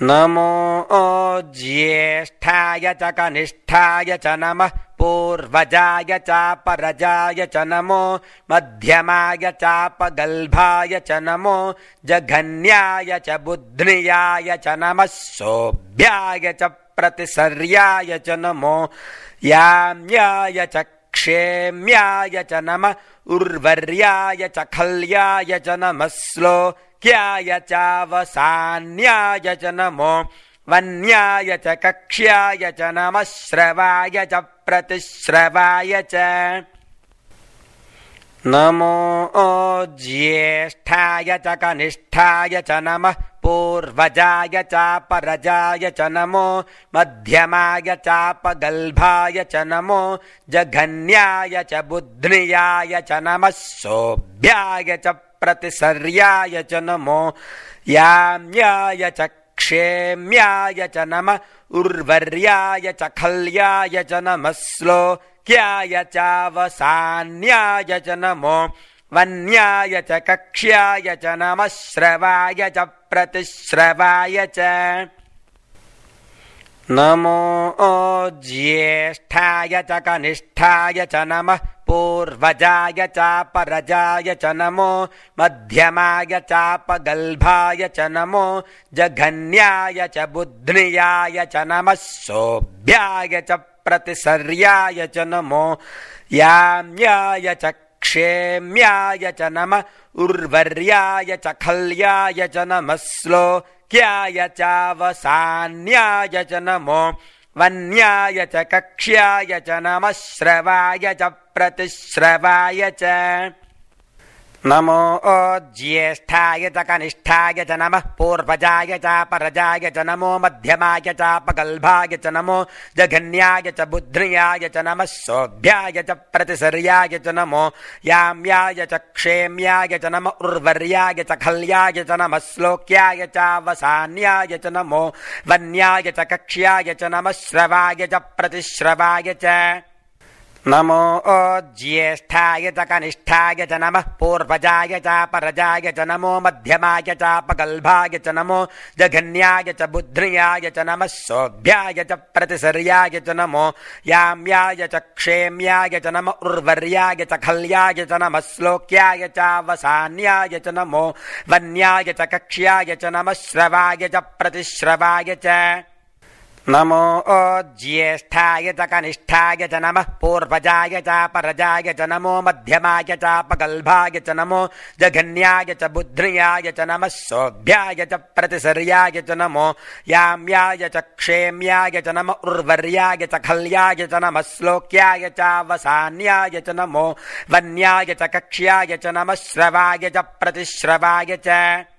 नमो ज्येष्ठाय च कनिष्ठाय च नमः पूर्वजाय चापरजाय च नमो मध्यमाय चापगल्भाय च नमो जघन्याय च बुध्नियाय च नमः सोऽभ्याय च प्रतिसर्याय च नमो याम्याय च क्षेम्याय च नमः उर्वर्याय च खल्याय च नमः श्लोक्याय चावसान्याय च नमो वन्याय च कक्ष्याय च नमः श्रवाय च प्रतिश्रवाय च नमो ज्येष्ठाय च कनिष्ठाय च नमः पूर्वजाय चापरजाय च नमो मध्यमाय चापगल्भाय च नमो जघन्याय च बुध्नियाय च नमः सोऽभ्याय च प्रतिसर्याय च नमो याम्याय च क्षेम्याय च नमः उर्वर्याय च खल्याय च नमः श्लोक्याय चावसान्याय च नमो वन्याय च कक्ष्याय च नमः श्रवाय च प्रतिश्रवाय च नमो ज्येष्ठाय च कनिष्ठाय च नमः पूर्वजाय चापरजाय च नमो मध्यमाय चापगल्भाय च नमो जघन्याय च बुध्नियाय च नमः सोऽभ्याय च प्रतिसर्याय च नमो याम्याय च क्षेम्याय च नमः उर्वर्याय च खल्याय च नमः श्लोक्याय चावसान्याय च नमो वन्याय च कक्ष्याय च नमः श्रवाय च प्रतिश्रवाय च नमो ज्येष्ठाय च कनिष्ठाय च नमः पूर्वजाय चापरजाय च नमो मध्यमाय चापगल्भाय च नमो जघन्याय च बुध्नियाय च नमः सोऽभ्याय च प्रतिसर्याय च नमो याम्याय च क्षेम्याय च नमः उर्वर्याय च खल्याय च नमः श्लोक्याय चावसान्याय च नमो वन्याय च कक्ष्याय च नमः श्रवाय च प्रतिश्रवाय च नमो ज्येष्ठाय च कनिष्ठाय च नमः पूर्वजाय चापरजाय च नमो मध्यमाय चापगल्भाय च नमो जघन्याय च बुध्नियाय च नमः सोऽभ्याय च प्रतिसर्याय च नमो याम्याय च क्षेम्याय च नमः उर्वर्याय च खल्याय च नमः श्लोक्याय चावसान्याय च नमो वन्याय च कक्ष्याय च नमः श्रवाय च प्रतिश्रवाय च नमो ज्येष्ठाय च कनिष्ठाय च नमः पूर्वजाय चापरजाय च नमो मध्यमाय चापगल्भाय च नमो जघन्याय च बुध्नियाय च नमः सोऽभ्याय च प्रतिसर्याय च नमो याम्याय च क्षेम्याय च नमः उर्वर्याय च खल्याय च नमः श्लोक्याय चावसान्याय च नमो वन्याय च कक्ष्याय च नमः श्रवाय च प्रतिश्रवाय च